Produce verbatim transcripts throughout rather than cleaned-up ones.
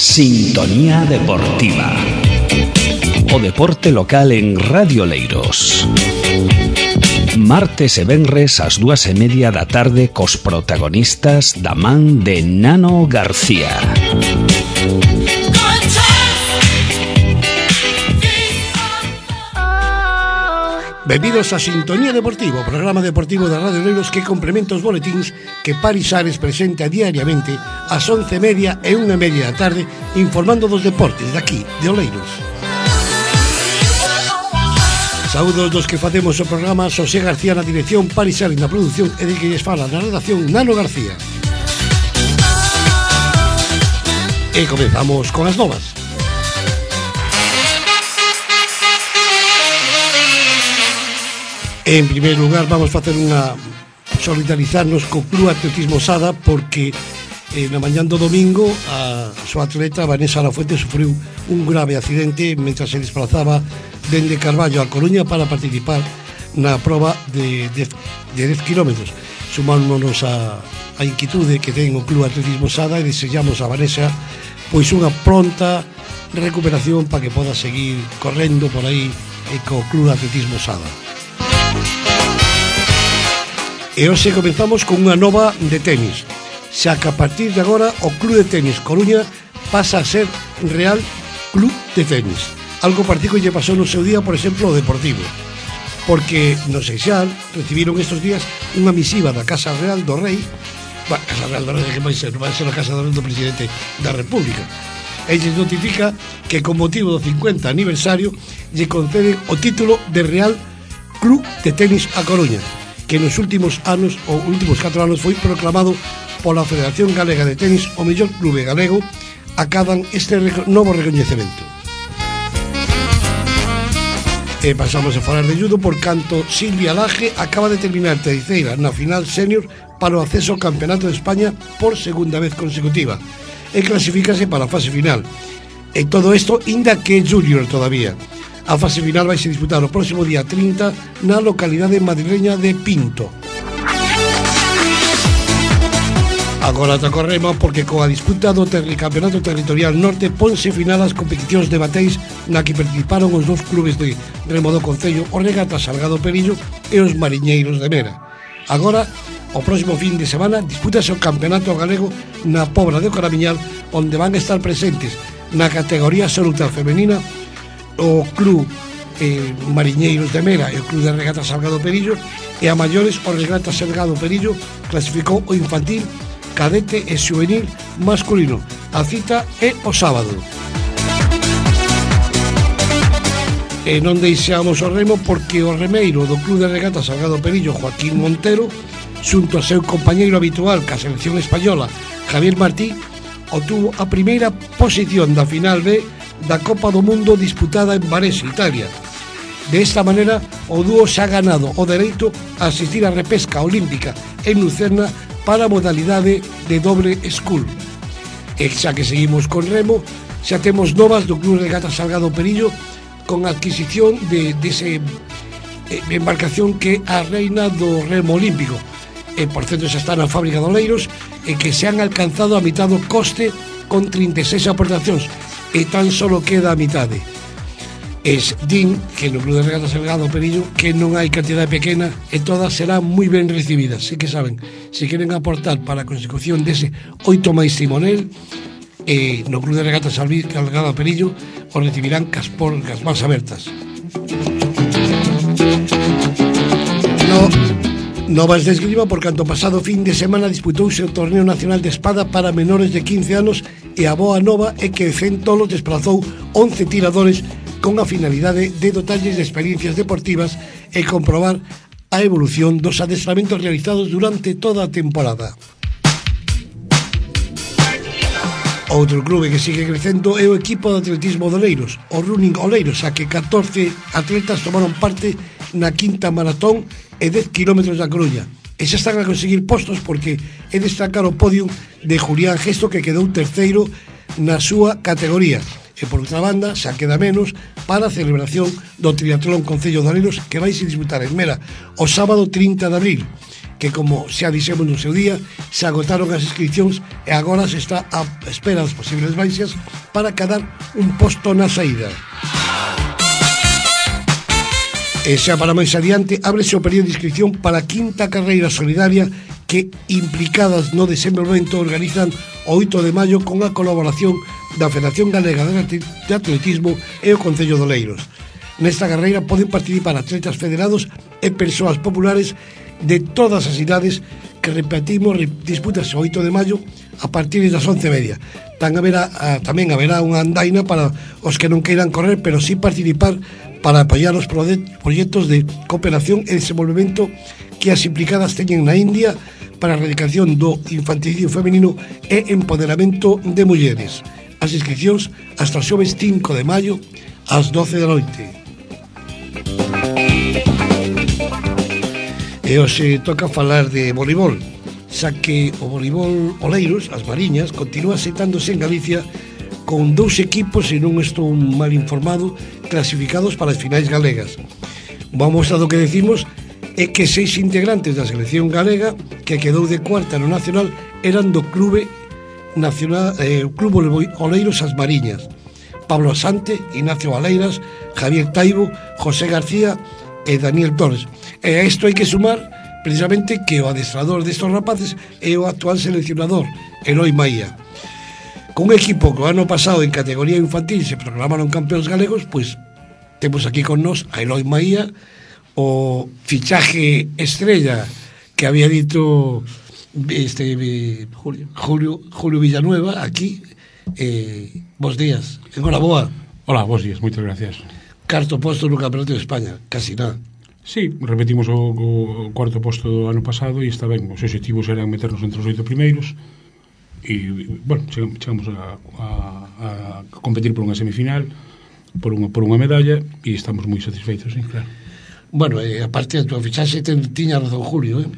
Sintonía Deportiva. O deporte local en Radio Leiros. Martes e venres ás dúas e media da tarde cos protagonistas da man de Nano García. Benvidos a Sintonía Deportiva, o programa deportivo da Radio Leiros que complementa os boletíns que Paris Ares presenta diariamente ás once e media e unha e media da tarde, informando dos deportes daqui, de Oleiros. Saúdos dos que facemos o programa: Xosé García na dirección, Paris Ares na produción e de que lles fala na redacción Nano García. E comezamos con as novas. En primeiro lugar, vamos facer unha solidarizarnos co Club Atletismo Sada, porque eh, na mañán do domingo a súa atleta Vanessa Lafuente sufriu un grave accidente mentre se desplazaba dende Carballo a Coruña para participar na proba de, de, de dez kilómetros. Sumámonos a, a inquitude que ten o Club Atletismo Sada e desexamos a Vanessa pois unha pronta recuperación para que poda seguir correndo por aí e co Club Atletismo Sada. E hoxe comenzamos con unha nova de tenis, xa que a partir de agora o Club de Tenis Coruña pasa a ser Real Club de Tenis. Algo particular lle pasou no seu día, por exemplo, o Deportivo, porque no Seixal recibiron estes días unha misiva da Casa Real do Rei, ba, Casa Real do Rei, que vai ser, non vai ser a Casa do Rei do Presidente da República. E lles notifica que con motivo do cincuenta aniversario lle conceden o título de Real Club de Tenis a Coruña, que nos últimos anos, ou últimos catro anos, foi proclamado pola Federación Galega de Tenis o mellor clube galego. Acadan este rec- novo recoñecemento. E pasamos a falar de judo, por canto Silvia Laje acaba de terminar terceira na final senior para o acceso ao Campeonato de España por segunda vez consecutiva e clasifícase para a fase final. E todo isto inda que é junior todavía. A fase final vai se disputar o próximo día trinta na localidade madrileña de Pinto. Agora toca o remo, porque coa disputa do ter- Campeonato Territorial Norte ponse final as competicións de bateis na que participaron os dous clubes de remo do Concello, o Regata Salgado Perillo e os Mariñeiros de Mera. Agora, o próximo fin de semana, dispútase o Campeonato Galego na Pobra de Coramiñal, onde van a estar presentes na categoría absoluta femenina o Club eh, Mariñeiros de Mera e o Club de Regata Salgado Perillo, e a maiores o Regata Salgado Perillo clasificou o infantil, cadete e xuvenil masculino. A cita é o sábado. E non deixamos o remo, porque o remeiro do Club de Regata Salgado Perillo, Joaquín Montero, xunto ao seu compañeiro habitual ca selección española, Javier Martí, obtuvo a primeira posición da final B da Copa do Mundo disputada en Varese, Italia. De esta manera, o dúo xa ha ganado o dereito a asistir á repesca olímpica en Lucerna para a modalidade de doble school. E xa que seguimos con remo, xa temos novas do Club Regata Salgado Perillo con a adquisición de dese de embarcación que é a reina do remo olímpico. E, por certo, xa está na fábrica de Oleiros, e que se han alcanzado a mitad do coste con trinta e seis aportacións, e tan solo queda a mitade. Es din que no Club de Regata Salgado Perillo que non hai cantidade pequena e todas serán moi ben recibidas. Se que saben, se queren aportar para a consecución dese oito máis timonel, e no Club de Regata Salgado Perillo o recibirán cas porcas máis abertas. No, novas de esgrima, por canto pasado fin de semana disputouse o Torneo Nacional de Espada para menores de quince anos, e a boa nova é que Centolo desplazou once tiradores con a finalidade de dotarlles de experiencias deportivas e comprobar a evolución dos adestramentos realizados durante toda a temporada. Outro clube que sigue crecendo é o equipo de atletismo de Oleiros, o Running Oleiros, a que catorce atletas tomaron parte na quinta maratón e dez kilómetros da Coruña. E xa están a conseguir postos, porque é destacar o podium de Julián Gesto, que quedou terceiro na súa categoría. E por outra banda, xa queda menos para a celebración do Triatlón Concello de Oleiros, que vai se disputar en Mera o sábado trinta de abril, que, como xa dixemos no seu día, se agotaron as inscripcións e agora se está a espera das posibles baixas para cadar un posto na saída. E xa para máis adiante, ábrese o período de inscripción para a quinta carreira solidaria que, implicadas no desenvolvemento, organizan o oito de maio con a colaboración da Federación Galega de Atletismo e o Concello de Oleiros. Nesta carreira poden participar atletas federados e persoas populares de todas as idades que, repetimos, dispútase o oito de maio a partir das once e media. Tan haberá, tamén haberá unha andaina para os que non queiran correr, pero sí participar para apoiar os proxectos de cooperación e desenvolvemento que as implicadas teñen na India para a erradicación do infanticidio feminino e empoderamento de mulleres. As inscripcións hasta o xoves cinco de maio ás doce da noite. E hoxe toca falar de voleibol, xa que o voleibol Oleiros, as Mariñas, continúa sentándose en Galicia con dous equipos, se non estou mal informado, clasificados para as finais galegas. Vamos a do que decimos é que seis integrantes da selección galega que quedou de cuarta no nacional eran do clube nacional, eh, Club Oleiros As Mariñas: Pablo Asante, Ignacio Valeiras, Javier Taibo, José García e Daniel Torres. E a isto hai que sumar precisamente que o adestrador destos rapaces é o actual seleccionador, Eloi Maía. Con un equipo que o ano pasado en categoría infantil se proclamaron campeóns galegos, pois temos aquí con nós a Eloi Maía, o fichaje estrella que había dito este Julio Julio, Julio Villanueva aquí. Eh, bos días, enhoraboa. Hola, bos días, moitas gracias. Carto posto no Campeonato de España, casi nada. Sí, repetimos o, o cuarto posto do ano pasado e está ben, os objetivos eran meternos entre os oito primeiros e, bueno, chegamos a, a, a competir por unha semifinal, por unha, por unha medalla, e estamos moi satisfeitos, sí, claro. Bueno, eh, aparte da tua fichaxe, ten, tiña razón Julio, eh?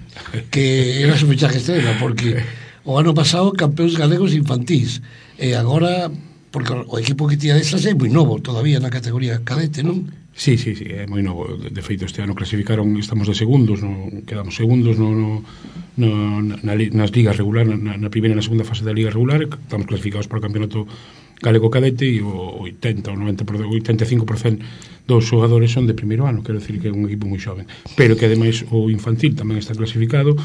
Que era su fichaje estrela, porque o ano pasado campeóns galegos infantís, e agora, porque o equipo que tiña desas é moi novo todavía na categoría cadete, non? Sí, sí, sí, é moi novo. De feito, este ano clasificaron, estamos de segundos, no, quedamos segundos no, no, no, na, nas ligas regular, na, na primeira e na segunda fase da liga regular, estamos clasificados para o campeonato galego cadete e o oitenta ou noventa por cento, oitenta e cinco por cento dos xogadores son de primeiro ano, quero decir que é un equipo moi xoven, pero que ademais o infantil tamén está clasificado,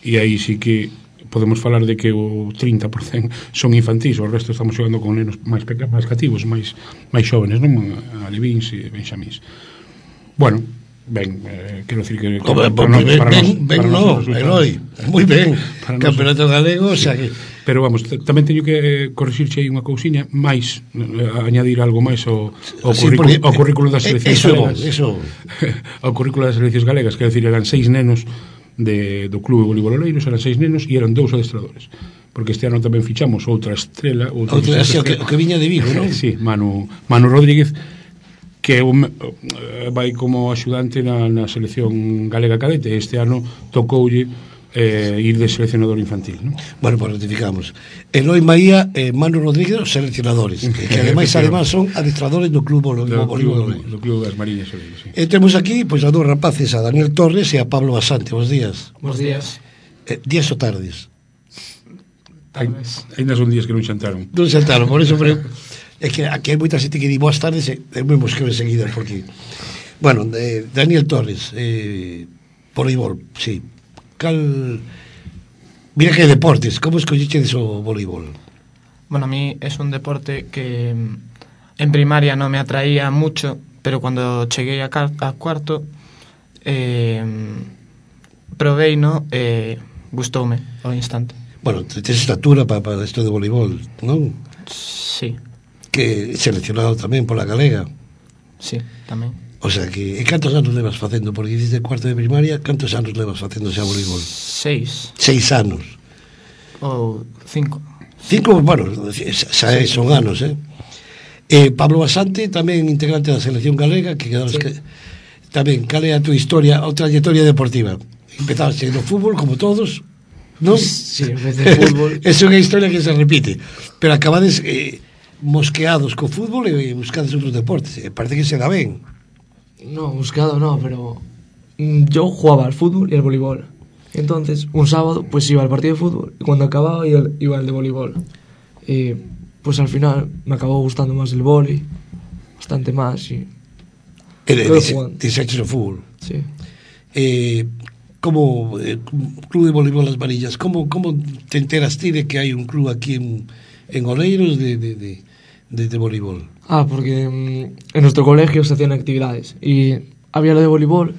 e aí sí que podemos falar de que o trinta por cento son infantís, o resto estamos xogando con nenos máis pequenos, máis cativos, máis máis xóvenes, non? Alevins e benxamís. Bueno, ben, eh, quero decir que Como, para, para, ben, para ben, nos, ben para no, Eloi, moi ben, campeonato galego, sí. O sea que... Pero vamos, tamén teño que corrixirche aí unha cousiña máis, eh, añadir algo máis ao, ao, sí, currículo, ao currículo das seleccións eso, galegas. Eso. Ao currículo das seleccións galegas, quero decir, eran seis nenos de, do Clube Voleibol Oleiros, eran seis nenos e eran dous adestradores, porque este ano tamén fichamos outra estrela, outra, outra estrela, que, que viña de Vigo, non? Sí, Manu, Manu Rodríguez, que un, vai como axudante na, na selección galega cadete. Este ano tocoulle eh, ir de seleccionador infantil, non? Bueno, pues ratificamos Eloi Maía e eh, Manu Rodríguez, os seleccionadores, que, que ademais ademais son adestradores do Club Voleibol do Club das Mariñas, sí. E temos aquí pois, pues, a dous rapaces, a Daniel Torres e a Pablo Basante. Bos días. Bos días. Eh, días ou tardes? Tal vez. Ainda son días que non xantaron. Non xantaron, por eso pero, é que aquí hai moita xente que di boas tardes e me mosqueo enseguida, porque bueno, eh, Daniel Torres, eh, voleibol, sí. Cal... Mira que deportes, como escolliches o voleibol? Bueno, a mí es un deporte que en primaria no me atraía mucho, pero cuando llegué a, a cuarto eh, probé, ¿no? Eh, gustoume ao instante. Bueno, tens estatura para, para esto de voleibol, non? Sí. Que seleccionado tamén pola galega. Sí, tamén. O sea que, e cantos anos levas facendo? Porque dices de cuarto de primaria, cantos anos levas facendo xa voleibol? Seis. Seis anos. Ou cinco. Cinco, bueno, xa sí, son anos, eh? eh Pablo Basante, tamén integrante da selección galega, que quedaron sí. que, tamén, cal é a tua historia, a trayectoria deportiva? Empezaste no fútbol, como todos, non? Sí, empecé no fútbol. É unha historia que se repite, pero acabades eh, mosqueados co fútbol e buscades outros deportes, e parece que se dá ben. No, buscado no, pero yo jugaba al fútbol y al voleibol. Entonces, un sábado, pues iba al partido de fútbol y cuando acababa iba, iba al de voleibol. Y pues al final me acabó gustando más el vóley, bastante más. Y Dices o fútbol. Sí. Eh, como eh, Club de Voleibol Las Varillas, ¿cómo, ¿cómo te enteras ti de que hay un club aquí en, en Oleiros de, de, de, de, de voleibol? Ah, porque mm, en nuestro colegio se hacían actividades y había lo de voleibol.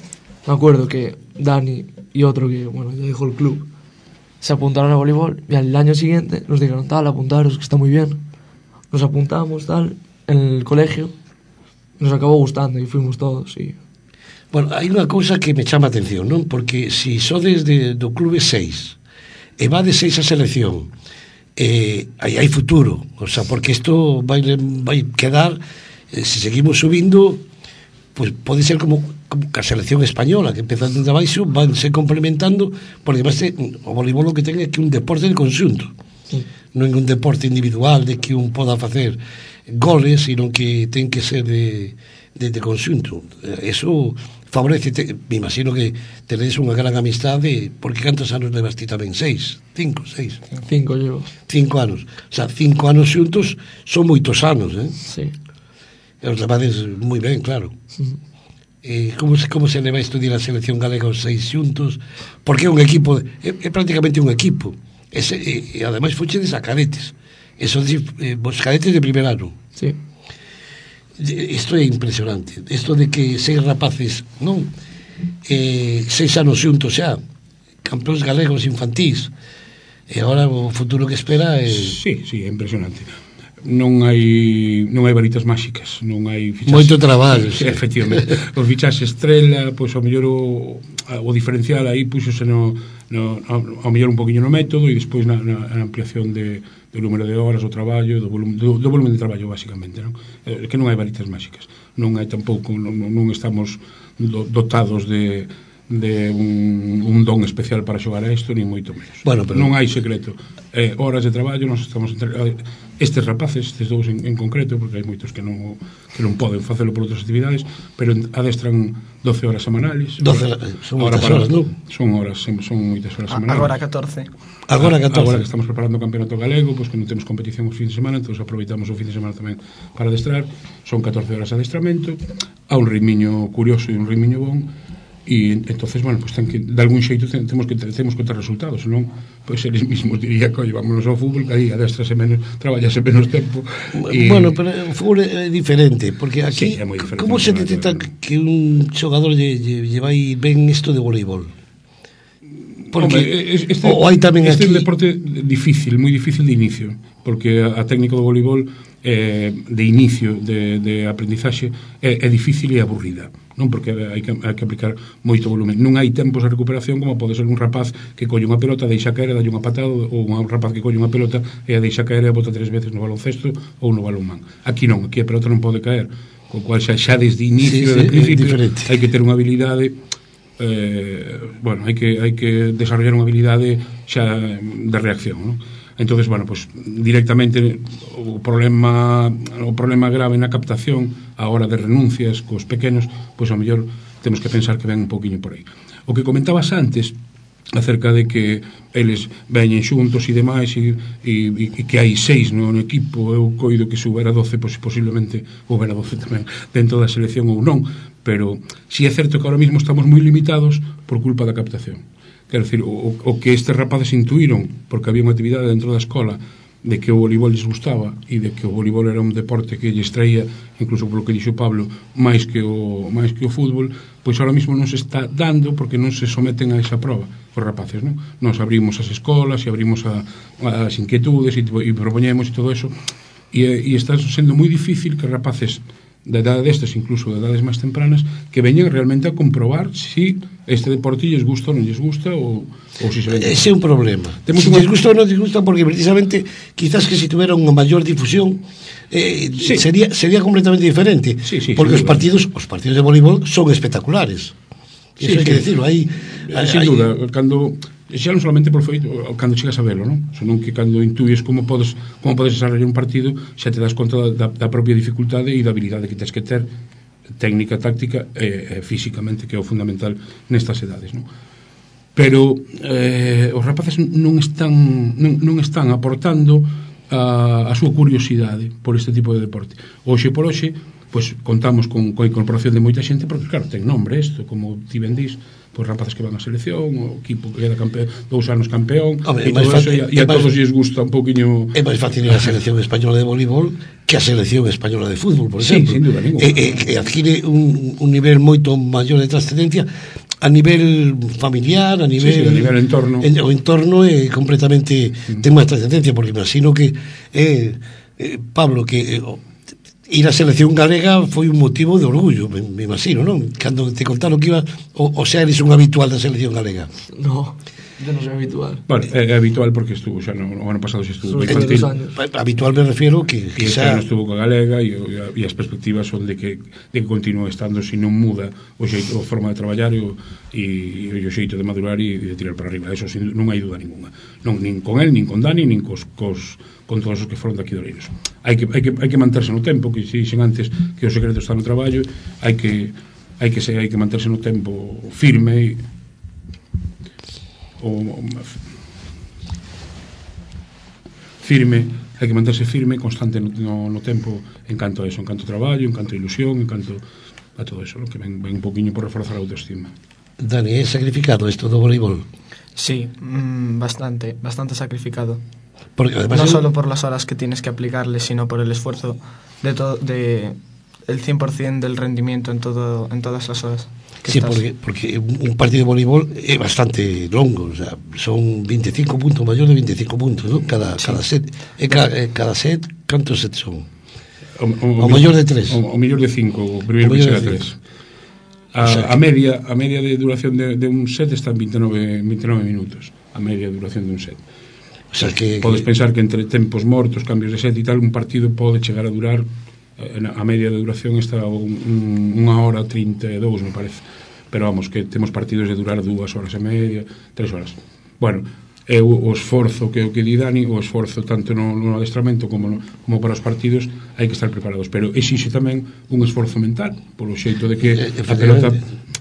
Me acuerdo que Dani y otro que, bueno, ya dejó el club, se apuntaron a voleibol y al año siguiente nos dijeron, tal, apuntaros, que está muy bien. Nos apuntamos, tal, en el colegio, nos acabó gustando y fuimos todos. Y... Bueno, hai unha cousa que me chama a atención, non? Porque si sodes de, do clube seis e va de seis a selección, eh, aí hai futuro, o sea, porque isto vai, vai quedar, eh, se seguimos subindo, pues pode ser como, como a selección española, que empezan desde abaixo, van se complementando, porque además o voleibol o que ten é que un deporte de conxunto, sí. Non é un deporte individual de que un poda facer goles, sino que ten que ser de, de, de conxunto. Eso favorece, te, me imagino que tenéis unha gran amistade, porque cantos anos levas ti tamén? Seis? Cinco? Seis? Cinco llevo. Cinco anos. O sea, cinco anos xuntos son moitos anos, eh? Sí. E os levades moi ben, claro. Uh-huh. Eh, como, se, como se leva a estudiar a selección galega os seis xuntos? Porque é un equipo, é, é prácticamente un equipo. E, se, e, e ademais fochedes a cadetes. E son eh, vos cadetes de primer ano. Sí. Isto é impresionante. Isto de que seis rapaces, non? Eh, seis anos xuntos xa, campeóns galegos infantís. E agora o futuro que espera é... Sí, sí, é impresionante. Non hai non hai varitas máxicas, non hai fichaxe. Moito traballo, sí. Efectivamente. O fichaxe estrela, pois ao mellor o, o diferencial aí puxose no, no ao mellor un poquinho no método e despois na, na, na ampliación de, do número de horas, o traballo, do volumen, do, do volumen de traballo basicamente, non? É que non hai varitas máxicas. Non hai tampouco, non, non estamos dotados de de un, un don especial para xogar a isto, ni moito menos. Bueno, pero... non hai secreto. Eh, horas de traballo, nós estamos entre... estes rapaces, estes dous en, en concreto, porque hai moitos que non que non poden facelo por outras actividades, pero adestran doce horas semanales. doce, son moitas horas, non? Son horas, son moitas horas semanales. Agora catorce. Agora catorce. Agora que estamos preparando o campeonato galego, pois que non temos competición os fin de semana, entón aproveitamos o fin de semana tamén para adestrar. Son catorce horas de adestramento, a un ritmiño curioso e un ritmiño bon. E entonces, bueno, pues ten que, de algún xeito temos que temos que ter resultados, non? Pois eles mismos diría que, oye, vámonos ao fútbol, que aí adestrase menos, traballase menos tempo. E... Bueno, pero o fútbol é diferente, porque aquí, sí, como se detecta que un xogador lle, lle, lle vai ben isto de voleibol? Porque Hombre, este, o hai tamén este aquí... é un deporte difícil, moi difícil de inicio, porque a, a técnica do voleibol eh, de inicio de, de aprendizaxe é, é difícil e aburrida, non? Porque hai que, hai que aplicar moito volumen, non hai tempos de recuperación como pode ser un rapaz que colle unha pelota, deixa caer e dalle unha patada, ou un rapaz que colle unha pelota e a deixa caer e a bota tres veces no baloncesto ou no balonmán. Aquí non, aquí a pelota non pode caer, co cual xa, xa desde inicio, sí, sí, de principio, hai que ter unha habilidade, eh, bueno, hai que, hai que desarrollar unha habilidade xa de reacción, non? Entonces, bueno, pues directamente o problema o problema grave na captación a hora de renuncias cos pequenos, pois ao mellor temos que pensar que ven un poquinho por aí. O que comentabas antes acerca de que eles veñen xuntos e demais e, e, e que hai seis no, no equipo, eu coido que se houbera doce, pois posiblemente houbera doce tamén dentro da selección ou non, pero si é certo que ahora mismo estamos moi limitados por culpa da captación. Quero dicir, o, o que estes rapaces intuíron, porque había unha actividade dentro da escola de que o voleibol les gustaba e de que o voleibol era un deporte que lles traía, incluso polo que dixo Pablo, máis que o máis que o fútbol, pois ahora mismo non se está dando porque non se someten a esa proba os rapaces, non? Nos abrimos as escolas e abrimos a, as inquietudes e, e propoñemos e todo eso e, e está sendo moi difícil que rapaces da edade destes, incluso de edades máis tempranas, que veñen realmente a comprobar si este deporte lles gusta ou non lles gusta ou, ou si se ven. Ese é un problema. Temos si unha... lles gusta ou non lles gusta, porque precisamente quizás que si tuvera unha maior difusión eh, sí. sería, sería completamente diferente, sí, sí, porque os partidos os partidos de voleibol son espectaculares. Eso sí, hai sí. que decirlo. Hai, hai, sin duda, cando xa non solamente por feito cando chegas a velo, non? Senón que cando intuyes como podes como podes desarrollar un partido, xa te das conta da, da propia dificultade e da habilidade que tens que ter, técnica, táctica e, e físicamente, que é o fundamental nestas edades, non? pero eh, os rapaces non están non, non están aportando a, a súa curiosidade por este tipo de deporte. Hoxe por hoxe, pois contamos con coa incorporación de moita xente, porque claro, ten nombre isto, como ti ben dís, pois rapaces que van á selección, o equipo que queda campeón, dous anos campeón, Hombre, e todo eso, e, e a todos lles gusta un poquinho. É máis fácil a selección española de voleibol que a selección española de fútbol, por Sí, exemplo. sin duda ninguna. E, e, e adquire un, un nivel moito maior de trascendencia a nivel familiar, a nivel, sí, sí, a nivel entorno. En, o entorno é completamente mm. ten máis trascendencia, porque imagino que eh, eh, Pablo, que eh, ir á selección galega foi un motivo de orgullo, me, me imagino, non? Cando te contaron que iba, o, o sea, eres un habitual da selección galega. No, yo no soy habitual. Bueno, é, é habitual porque estuvo xa no, o ano pasado xa estuvo Son infantil. años. Habitual me refiero que, E que este xa ano estuvo coa galega e, e as perspectivas son de que, de que continúe estando, se non muda o xeito, a forma de traballar e o, e, e o xeito de madurar e de tirar para arriba. Eso sin, non hai duda ninguna. Non, nin con el, nin con Dani, nin cos, cos con todos os que foron daqui de Oleiros. Hai que, hai que, hai que manterse no tempo, que se dixen antes que o secreto está no traballo, hai que hai que, se, hai que manterse no tempo firme e, o, o firme, hai que manterse firme, constante no, no, no tempo en canto a eso, en canto a traballo, en canto a ilusión, en canto a todo eso, ¿no? Que ven, ven un poquinho por reforzar a autoestima. Dani, é sacrificado isto do voleibol? Sí, mmm, bastante, bastante sacrificado. Porque además no es... solo por las horas que tienes que aplicarle, sino por el esfuerzo de todo, de el cien por ciento del rendimiento en todo, en todas las horas que Sí, estás. porque, porque un partido de voleibol é bastante longo, o sea, son veinticinco puntos, maior de veinticinco puntos, ¿no? Cada, sí. cada set, e cada, e cada set, cantos sets son? O, o, o maior de tres. O, o mellor de cinco, o primeiro que chega a tres. A, o sea, a media a media de duración de, de un set está en veintinueve minutos, a media duración de un set. O sea, que, podes que... pensar que entre tempos mortos, cambios de set e tal, un partido pode chegar a durar, a media de duración está un, un, unha hora trinta e dous, me parece, pero vamos, que temos partidos de durar dúas horas e media, tres horas. Bueno, é o, o esforzo que o que di Dani, o esforzo tanto no, no adestramento como, no, como para os partidos, hai que estar preparados, pero exixe tamén un esforzo mental, polo xeito de que eh, a pelota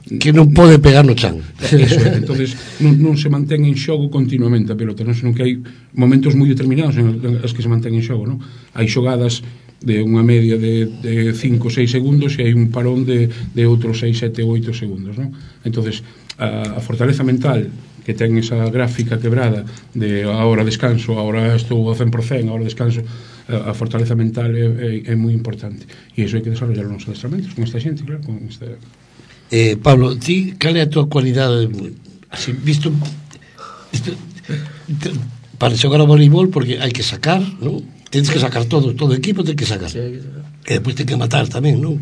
que non pode pegar no chan. Eso é, entonces non, non se mantén en xogo continuamente a pelota, non, senón que hai momentos moi determinados en os que se mantén en xogo, non? Hai xogadas de unha media de, de cinco ou seis segundos e hai un parón de, de outros seis, sete ou oito segundos, non? Entonces a, a fortaleza mental que ten esa gráfica quebrada de ahora descanso, ahora estou ao cen por cento, ahora descanso, a, a fortaleza mental é, é, é moi importante e iso hai que desarrollar nos adestramentos con esta xente, claro, con esta... Eh, Pablo, ti, cal é a tua cualidade así, visto, visto para xogar ao voleibol, porque hai que sacar, non? Tens que sacar todo, todo o equipo ten que sacar. Sí, hay que sacar. E depois ten que matar tamén, non?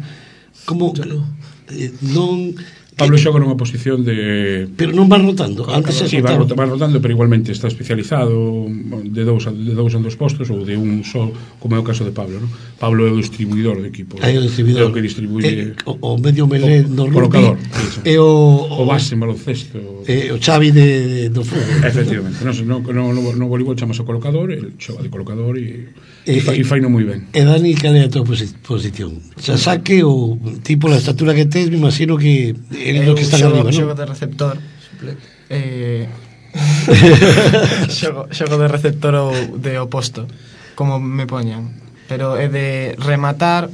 Como no. eh, non Pablo xoga nunha posición de... Pero non van rotando. Antes se sí, va, rotaba. va rotando, pero igualmente está especializado de dous, a, de dous en dos postos ou de un só, como é o caso de Pablo, ¿no? Pablo é o distribuidor do equipo. Aí o distribuidor. É o que distribuye... Eh, o, o medio melé do rugby. Colocador. E o, O base en baloncesto. E o Xavi de, do fútbol. Efectivamente. No, no, no, no, no voleibol chamase o colocador, el xoga de colocador e, e, e, fa, e faino moi ben. E Dani, cal é a tua posi posición? Xa saque ou tipo la estatura que tes, me imagino que eres o que está arriba, non? Xogo de receptor. Eh, xogo, xogo de receptor ou de oposto, como me poñan. Pero é de rematar,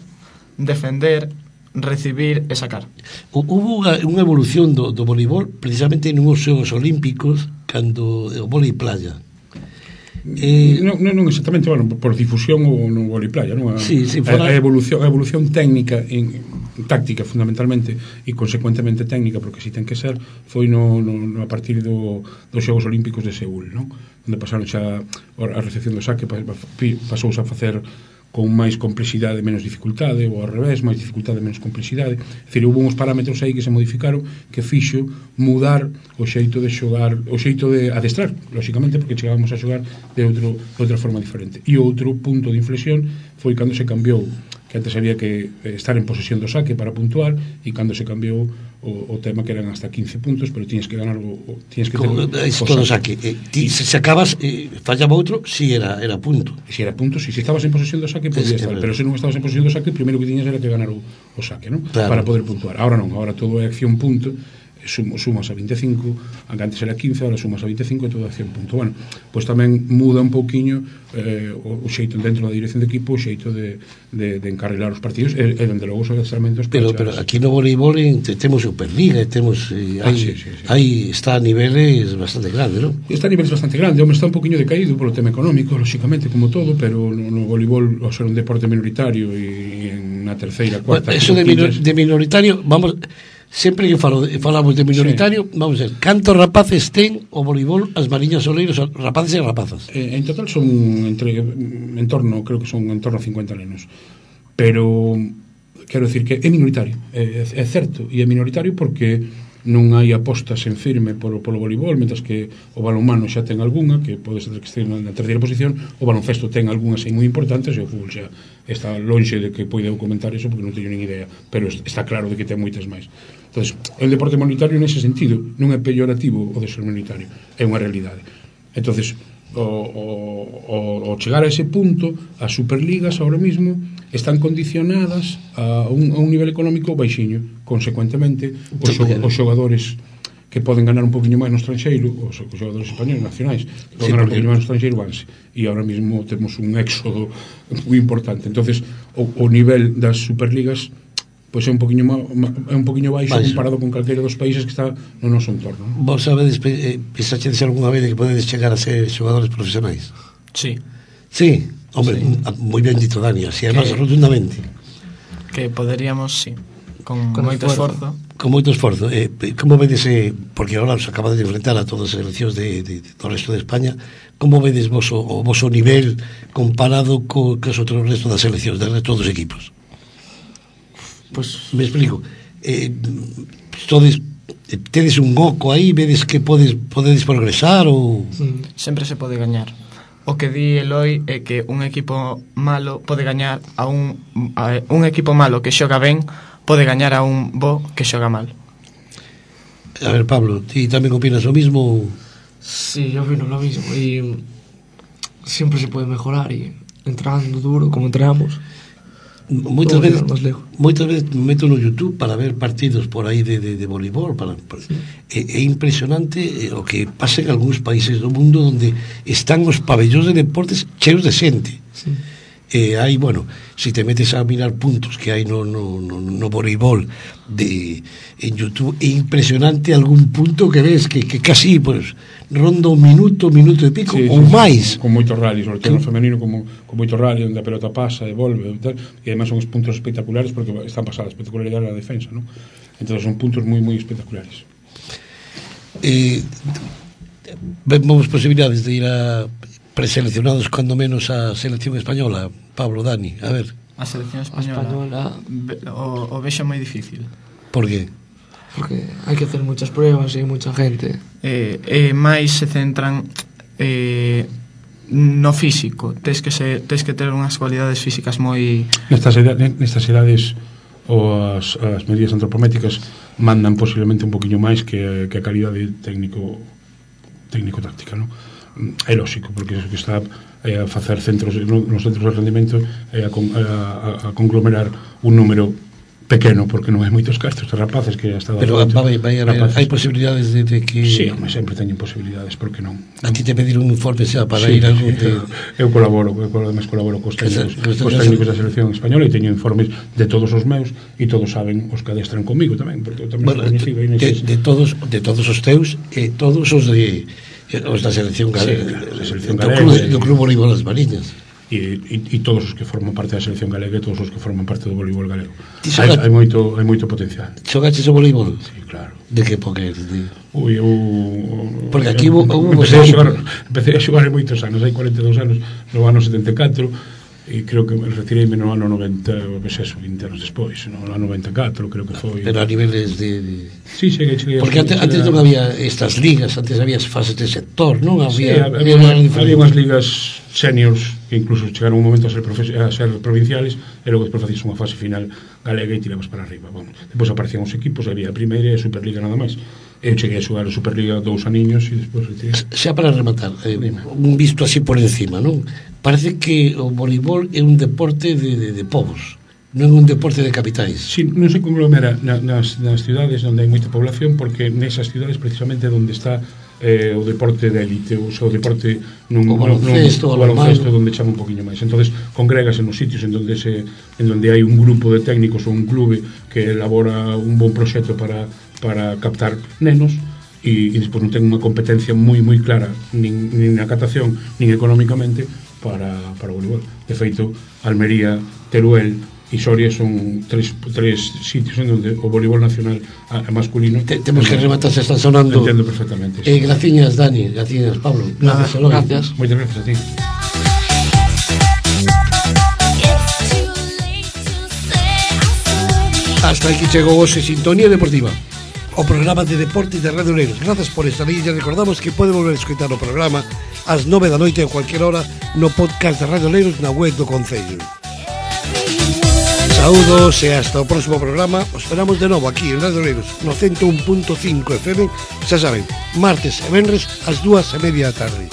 defender, recibir e sacar. Hubo unha, unha evolución do, do voleibol precisamente nos Xogos Olímpicos cando o vólei playa. Eh, non, non, non exactamente, bueno, por difusión ou no vólei playa, non? A, sí, sí, fora... a, a evolución, a evolución técnica en táctica fundamentalmente e consecuentemente técnica, porque si ten que ser, foi no, no, no a partir do, dos Xogos Olímpicos de Seúl, non? Onde pasaron xa a recepción do saque, pasouse a facer con máis complexidade, menos dificultade, ou ao revés, máis dificultade, menos complexidade. É dicir, houve uns parámetros aí que se modificaron que fixo mudar o xeito de xogar, o xeito de adestrar, lóxicamente, porque chegábamos a xogar de, outro, de outra forma diferente. E outro punto de inflexión foi cando se cambiou, que antes había que estar en posesión do saque para puntuar, e cando se cambiou o, o tema que eran hasta quince puntos, pero tiñes que ganar o, o tiñes que ter o todo saque. Eh, ti, se sacabas, eh, fallaba outro, si era, era punto. Si era punto, si, si estabas en posesión do saque podías estar, pero se non estabas en posesión do saque, o primeiro que tiñas era que ganar o, o saque, ¿no? Claro. Para poder puntuar. Ahora non, ahora todo é acción punto, sum, sumas a vinte e cinco, a que antes era quince, ahora sumas a vinte e cinco e todo a cien puntos. Bueno, pois tamén muda un pouquiño eh, o, o xeito dentro da dirección de equipo, o xeito de, de, de encarrilar os partidos e, e dende logo os adestramentos. Pero, pero aquí no voleibol temos Superliga, temos eh, ah, aí, sí, sí, sí. aí está a niveles bastante grande, non? Está a niveles bastante grande, home, está un poquinho decaído polo tema económico, lóxicamente, como todo, pero no, no voleibol, ao ser un deporte minoritario e en na terceira, cuarta... Bueno, eso de, minor, de minoritario, vamos, sempre que falo, falamos de minoritario, sí. Vamos a ver, cantos rapaces ten o voleibol as Mariñas Oleiros, rapaces e rapazas? Eh, en total son entre, en torno, creo que son en torno a cincuenta nenos, pero quero decir que é minoritario, é, é certo, e é minoritario porque non hai apostas en firme polo, polo voleibol, mentras que o balonmano xa ten algunha, que pode ser que este na terceira posición, o baloncesto ten algunhas aí moi importantes, e o fútbol xa está lonxe de que poida comentar eso, porque non teño nin idea, pero está claro de que ten moitas máis. Entonces, o deporte minoritario nese sentido non é pellorativo o de ser minoritario, é unha realidade. Entonces, o, o, o, o chegar a ese punto, as superligas ahora mismo están condicionadas a un, a un nivel económico baixiño. Consecuentemente, os, os xogadores que poden ganar un poquinho máis no estranxeiro, os, os xogadores españoles nacionais que poden sí, ganar un poquinho máis no estranxeiro, vanse. E ahora mismo temos un éxodo moi importante. Entonces, o, o nivel das superligas pois é un poquinho ma, ma, é un poquinho baixo, baixo comparado con calquera dos países que está no noso entorno. Vos sabedes, eh, pensaxedes algunha vez que podedes chegar a ser xogadores profesionais? Sí. Sí, hombre, sí. Moi ben dito, Dani, así además rotundamente. Que poderíamos, sí, con, con moito esforzo. Con moito esforzo. Eh, como vedes, eh, porque agora os acaba de enfrentar a todas as seleccións de, de, de, do resto de España, como vedes vos o, o voso nivel comparado co, co os outros resto das seleccións, del resto dos equipos? Pues me explico. Eh, todes, tedes un oco aí, vedes que podes podedes progresar ou sempre se pode gañar. O que di Eloi é que un equipo malo pode gañar a un a un equipo malo que xoga ben pode gañar a un bo que xoga mal. A ver, Pablo, ti tamén opinas o mismo? Sí, yo opino lo mismo y siempre se puede mejorar y entrando duro como entramos. Moitas veces, moitas veces me meto no YouTube para ver partidos por aí de, de, de voleibol para, para, sí. é, é impresionante o que pasa en algúns países do mundo onde están os pabellóns de deportes cheos de xente. Sí. E hai, bueno, se si te metes a mirar puntos que hai no, no, no, no voleibol de, en YouTube, é impresionante algún punto que ves que, que casi pues, ronda un minuto, minuto e pico, sí, ou sí, máis. Con, con moitos rallies, sobre todo no femenino, como, con moitos rallies onde a pelota pasa e volve, e, tal, e además son os puntos espectaculares porque están pasadas espectacularidade na defensa, ¿no? Entonces son puntos moi, moi espectaculares. Eh, vemos posibilidades de ir a preseleccionados cando menos a selección española, Pablo, Dani, a ver. A selección española, española. O, o vexo moi difícil. Por qué? Porque hai que hacer muchas pruebas e mucha gente. Eh, eh, máis se centran eh, no físico. Tes que, se, tes que ter unhas cualidades físicas moi... Nestas, nestas edades ou as, as medidas antropométricas mandan posiblemente un poquinho máis que, que a calidade técnico técnico-táctica, non? É lógico, porque é que está é, a facer centros nos centros de rendimento é a, a, a conglomerar un número pequeno, porque non hai moitos cartos de rapaces que ha estado... Pero vai, vai a ver, hai posibilidades de, de que... Sí, home, sempre teñen posibilidades, por que non? A ti te pedir un informe xa para sí, ir a algún... Sí, eu, eu colaboro, eu además colaboro cos técnicos, cos técnicos da selección española e teño informes de todos os meus e todos saben os que adestran comigo tamén, porque eu tamén bueno, sou coñecido de, de, de, todos, de todos os teus e todos os de... os da selección galega, sí, claro, selección do, galega, club, do club voleibol das Mariñas e, e, e todos os que forman parte da selección galega e todos os que forman parte do voleibol galego. Hai, hai moito hai moito potencial. Xogaches o voleibol? Sí, claro. De que época eres? De... Ui, eu porque aquí hubo, hubo empecé, a xogar, empecé a xogar en moitos anos, hai cuarenta e dous anos, no ano setenta e catro, e creo que me retireime no ano noventa, pues eso, vinte anos despois, no ano noventa e catro, creo que foi. Pero a niveles de... de... Sí, cheguei, cheguei. Porque antes, antes non había estas ligas, antes había fases de sector, non? Había, sí, había, había, había unhas ligas seniors que incluso chegaron un momento a ser, a ser provinciales e logo despois facías unha fase final galega e tirabas para arriba. Bueno, depois aparecían os equipos, había a primeira e a Superliga nada máis. Eu cheguei a xogar a Superliga dous aniños e despois retirei. Xa para rematar, eh, un visto así por encima, non? Parece que o voleibol é un deporte de, de, de povos, non é un deporte de capitais. Sí, non se conglomera na, nas, nas cidades onde hai moita población, porque nesas cidades precisamente onde está eh, o deporte de élite, o seu deporte nun, o baloncesto, nun, o baloncesto onde chama un poquinho máis. Entonces congrégase nos sitios en donde se en donde hai un grupo de técnicos ou un clube que elabora un bon proxecto para para captar nenos e, e despois non ten unha competencia moi moi clara nin, nin na catación nin económicamente para, para o voleibol. De feito, Almería, Teruel e Soria son tres, tres sitios en donde o voleibol nacional a, a masculino Te, temos que rematar, se están sonando. Entendo perfectamente. Eh, graciñas, Dani, graciñas, Pablo. Gracias, Eloy. Gracias. Moitas gracias a ti. Hasta aquí chegou hoxe Sintonía Deportiva, o programa de deportes de Radio Oleiros. Grazas por estar aí. Ya recordamos que pode volver a escoitar o programa ás nove da noite a cualquier hora no podcast de Radio Oleiros na web do Concello. Saúdos e hasta o próximo programa. Os esperamos de novo aquí en Radio Oleiros no ciento un punto cinco F M. Xa saben, martes e venres ás dúas e media da tarde.